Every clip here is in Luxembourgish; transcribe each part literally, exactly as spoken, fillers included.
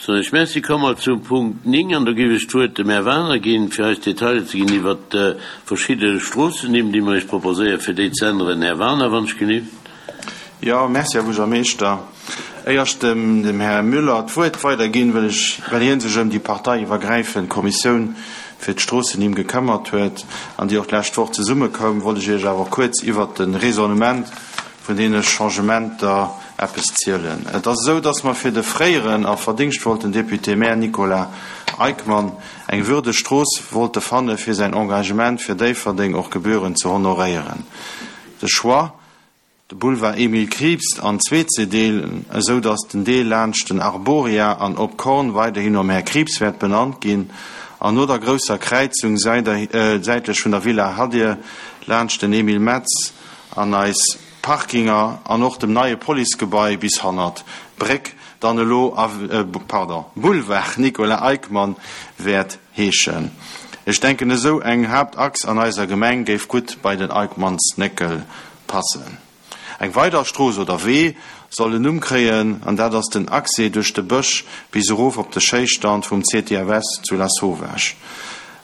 Soen ech Merci. Komme mer zum Punkt néng an do géif ech d'Wuert dem Här Wagener ginn, fir eis Detailer ze ginn iwwert verschidde Stroossennimm, déi mer Iech proposéieren, fir déi ze änneren. Här Wagener, wann ech genügt. Jo, merci, Här Buergermeeschter. Éier ech dem, dem Här Müller d'Wuert weiderginn, wëll ech, well hie sech ëm déi parteiiwwergräifend Kommissioun fir d'Stroossennimm gekëmmert huet an déi och d'lescht Woch zesummekoum, wollt ech Iech awer kuerz iwwert de Raisonnement vun deene Changementer eppes zielen. Et ass esou, dass mer fir de fréieren a verdingschtvollten Député-maire Nicolas Eickmann eng würdeg Strooss wollte fanne fir säin Engagement fir Déifferdeng och gebührend ze honoréieren. De Choix, de Boulevard Emile Krieps an zwee ze deelen, esou dass den Deel laanscht den Arboria an Op Korn weiderhin nom Här Krieps wäert benannt ginn an no der grousser Kräizung säitlech vun der Villa Hadir laanscht den Emile Metz an eis Parkinger an och dem neie Policegebai bis hannert d'Bréck dann elo, pardon, Boulevard Nicolas Eickmann wäert heeschen. Ech denken, esou eng Haaptachs an eiser Gemeng géif gutt bei den Eickmannsnéckel passen. Eng weider Strooss oder Wee soll en Numm kréien, an dat ass den Accès duerch de Bësch bis erof op de Schéisstand vum C T F S zu Lasauvage.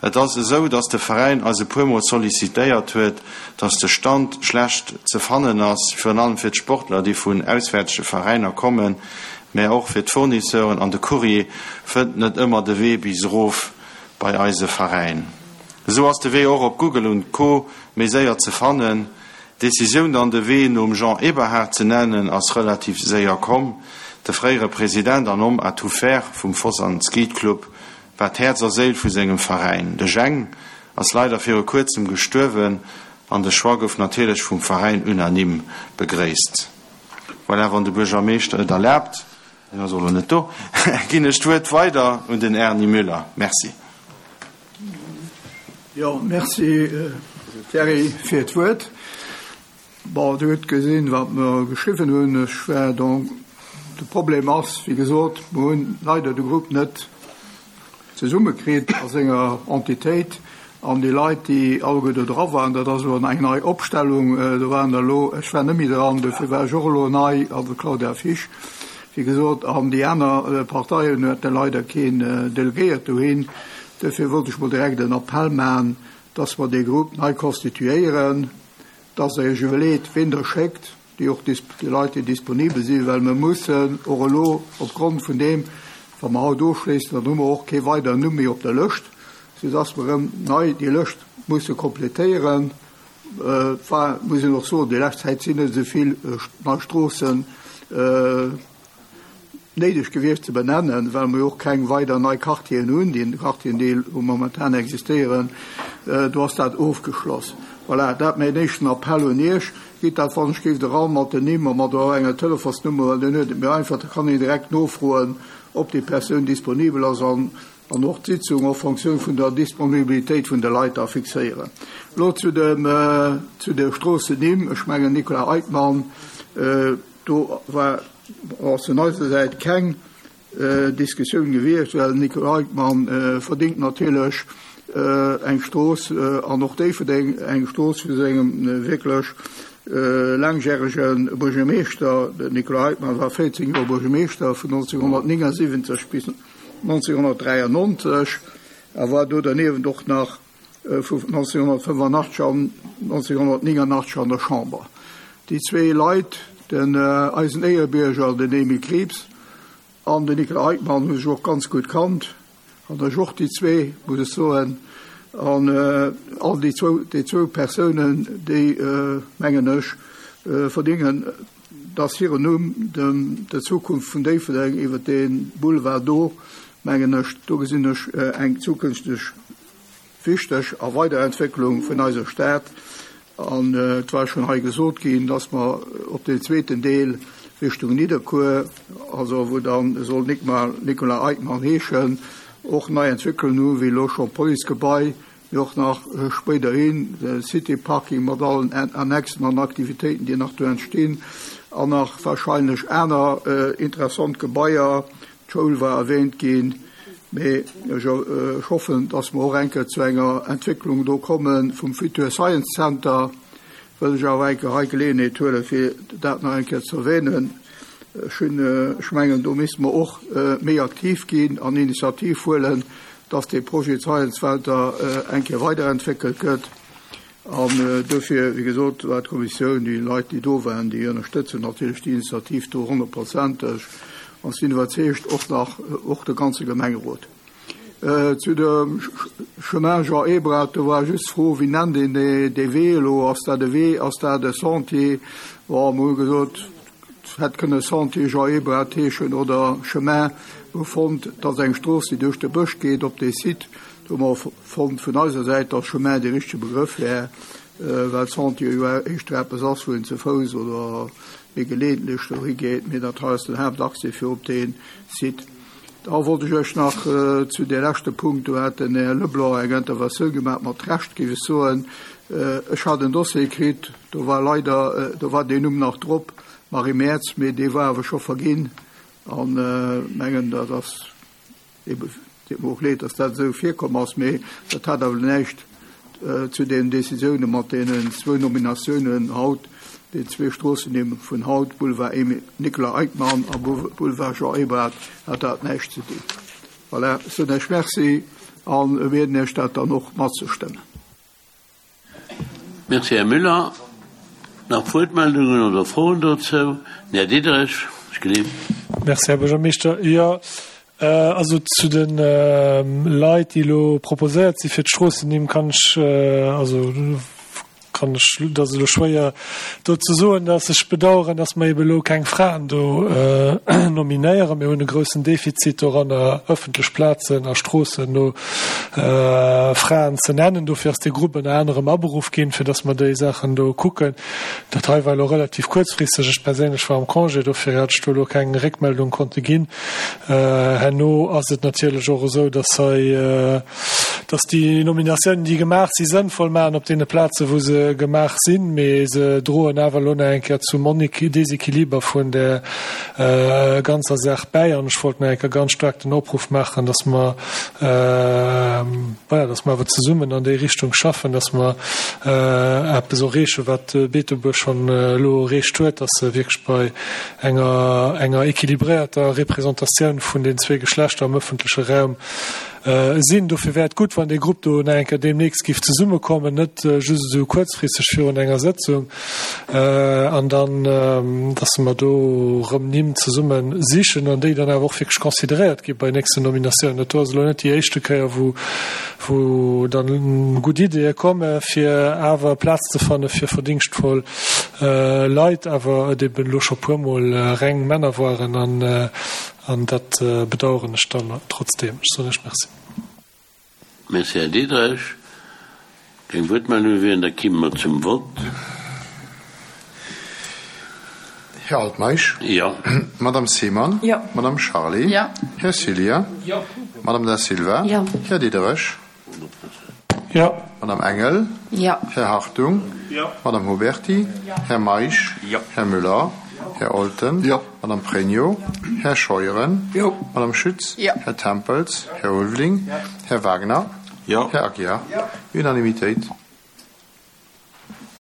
Et ass esou, dass de Veräin eis e puermol sollicitéiert huet, dass de Stand schlecht ze fannen ass, virun allem fir d'Sportler, déi vun auswäertege Veräiner kommen, mä och fir d'Fournisseuren an de Courrier fënnt net ëmmer de Wee bis erof bei eise Veräin. Esou ass de Wee och op Google und Co. Méi séier ze fannen. D'Decisioun dann de Wee nom Jean Eberhard ze nennen ass relativ séier komm. De fréiere President an Homme à tout faire vum Foss an Skate Club war d'Häerz a Séil vu sengem Veräin. De Jeng ass leider viru kuerzem gestuerwen an de Choix gouf natierlech vum Veräin unanime begréisst. Voilà, wann de Buergermeeschter et erlaabt, hien ass och elo net do, ginn ech d'Wuert weider un den Erny Müller. Merci. Jo, merci Thierry fir d'Wuert. Bon, Dir hutt gesinn, wat mer geschriwwen hunn. Ech war donc, de Problem ass, wéi gesot, mer hunn leider de Grupp net zesummekritt a senger Entitéit an déi Leit, déi alleguer do dra waren, dat ass elo eng nei Opstellung, do waren der elo, ech war net méi dran, dofir war ech och elo nei, also Claudia Fisch, wéi gesot, an déi aner Parteien hate leider keen Delegéiert dohin. Dofir wollt ech mol direkt en Appell maachen, dass mer dee Grupp nei konstituéieren, dass Der Iech iwwerleet, ween Der schéckt, déi och déi Leit, déi disponibel sinn, well mer mussen och elo opgrond vun deem, wa mer haut ofschléissen, dann hu mer och kee weideren Numm méi op der Lëscht, soudass mer erëm nei déi Lëscht musse kompletéieren. Et war, muss een och soen, déi lescht Zäit sinn net esou vill nei Stroossen néideg gewiescht ze benennen, well mer jo och keng weider nei Quartieren hunn. Déi Quartieren, déi elo momentan existéieren, do ass dat ofgeschloss. Voilà, dat mäin éischten Appell un Iech. Gitt dat, wann ech géif, eran mat den Nimm a mat och enger Telefonsnummer, well dann huet et méi einfach, da kann een direkt nofroen, ob déi Persoun disponibel ass an an och d'Sitzung en fonction vun der Disponibilitéit vun de Leit da fixéieren. Elo zu dem, zu de Stroossennimm. Ech mengen, Nicolas Eickmann, do war, ass vun eiser Säit keng Diskussioun gewiescht, well Nicolas Eickmann verdéngt natierlech eng Strooss an och Déifferdeng eng Strooss vu sengem wierklech laangjärege Buergermeeschter. Den Nicolas Eickmann war véierzéng Joer Buergermeeschter vun nonzénghonnertnéngasiwwenzeg bis nonzénghonnertdräiannonzeg a war do derniewent och nach vu nonzénghonnertfënnefanachteg an nonzénghonnertnénganachteg an der Chamber. Déi zwee Leit, den eisen Éierebierger, den Emile Krieps, an den Nicolas Eickmann, hu sech och ganz gutt kannt. An ech och déi zwee, muss ech soen. An all déi zwou, déi zwou Persounen, déi, mengen ech, verdéngen, dass hiren Numm dem, der Zukunft vun Déifferdeng iwwer dee Boulevard do, mengen ech, do gesinn ech eng zukünfteg wichteg a Weiderentwécklung vun eiser Stad. An et war schonn hei gesot ginn, dass mer op deen zweeten Deel Richtung Nidderkuer, also wou dann soll Nicolas Eickmann heeschen, och nei Entwécklungen hunn, wéi elo scho Policegebai, mee och nach spéiderhin de City Parking mat allen Annexen an Aktivitéiten, déi nach do entstinn, an nach wahrscheinlech aner interessant Gebaier. D'Schoul war erwähnt ginn, mee ech hoffen, dass mer och eng Kéier zu enger Entwécklung do komme vum Future Science Center, wëll ech awer eng Kéier hei Geleeënheet huelen, fir dat nach eng Kéier ze erwähnen. Ech hunn, ech mengen, do misste mer och méi aktiv ginn an Initiativ huelen, dass dee Projet Zeilenswelter eng Kéier weiderentwéckelt gëtt. An dofir, wéi gesot, war d'Kommissioun, déi Leit, déi do waren, déi ënnerstëtzen natierlech déi Initiativ do honnertprozenteg an sinn iwwerzeegt, och nach, och de ganze Gemengerot. Zu dem Chemin Jean Ebrard, do war just d'Fro, wéi nennt een dee Wee elo? Ass dat e Wee, ass dat e Sentier? Bon, mer hu gesot, et hätt kënne Sentier Jean Ebrard heeschen oder Chemin. Mer hu fonnt, et ass eng Strooss, déi duerch de Bësch geet op dee Site. Do hu mer fonnt vun eiser Säit, datt Chemin dee richtege Begrëff wär, well Sentier jo éischter eppes ass, wou een ze Fouss oder méi geleeëntlech dohi geet, mee dat hei ass den Haaptaccès fir op dee Site. Da wollt ech Iech nach zu dee leschte Punkt, do hat den Här Leblanc eng Interventioun gemaach, mat Recht géif ech soen. Ech hat en Dossier kritt, do war leider, do war deen Numm nach drop, Marie Merz, mee dee war awer scho verginn. An mengen, dat ass ebe, deet mer och leed, dass dat esou virkomm ass, mee dat hat awer näischt zu den Décisioune mat deenen zwou Nominatiounen haut, déi zwee Stroossennimm vun haut, Boulevard Emile Nicolas Eickmann a Boulevard Jean Ebrard, hat dat näischt ze dinn. Voilà, ech soen Iech Merci a bieden Iech dat dann och matzestëmmen. Merci, Här Müller. Nach Wuertmeldungen oder Froen dozou? Den Här Diderich, ech gleef. Merci, Här Buergermeeschter. Jo, also zu de Leit, déi elo proposéiert si fir d'Stroossennimm, kann ech, also kann ech, dat ass elo schwéier do ze soen, dass ech bedauern, dass mer eben elo keng Fraen do nominéieren. Mir hunn e groussen Defizit doranner, öffentlech Plazen a Stroossen no Fraen ze nennen. Dofir ass dee Grupp ënner anerem aberuff ginn, fir dass mer déi Saachen do kucken. Dat hei war elo relativ kuerzfristeg. Ech perséinlech war am Congé, dofir hat ech do elo keng Réckmeldung konnte ginn. Herno ass et natierlech och esou, dass hei, dass déi Nominatiounen, déi gemaach si sënnvoll maachen op deene Plaze wou se gemaach sinn, mee se droen awer elo nach eng Kéier zum Desequiliber vun der ganzer Saach bäi. An ech wollt nach eng Kéier ganz staark den Opruff maachen, dass mer, voilà, dass mer awer zesummen an déi Richtung schaffen, dass mer eppes erreechen, wat Beetebuerg schonn elo erreecht huet, dass se wierklech bei enger enger équilibréierter Representatioun vun den zwee Geschlechter am öffentleche Raum sinn. Dofir wär et gutt, wann dee Grupp do nach eng Kéier deemnächst géif zesummekommen, net just esou kuerzfristeg virun enger Sëtzung, an dann, dass mer do erëm Nimm zesumme sichen an déi dann awer och wierklech consideréiert gi bei nächsten Nominatiounen. Dat do ass elo net déi éischte Kéier, wou, wou dann gutt Ideeë komme fir awer Plaz ze fanne fir verdingschtvoll Leit, awer et eben elo scho puermol reng Männer waren an, An dat bedauern ech dann trotzdem. Ech soen lech Merci. Merci, Här Diderich. Keng Wuertmeldunge wieren, da kimme mer zum Vott. Här Altmeisch. Jo. Madame Seemann. Jo. Madame Charlé. Jo. Här Cillien. Jo. Madame Da Silva. Jo. Här Diderich. Jo. Madame Engel. Jo. Här Hartung. Jo. Madame Huberty. Jo. Här Meisch. Jo. Här Müller. Här Olten. Jo. Madame Pregno. Här Scheuren. Jo. Madame Schütz. Jo. Här Tempels. Här Ulveling. Jo. Här Wagner. Jo. Här Aguiar. Jo. Unanimitéit.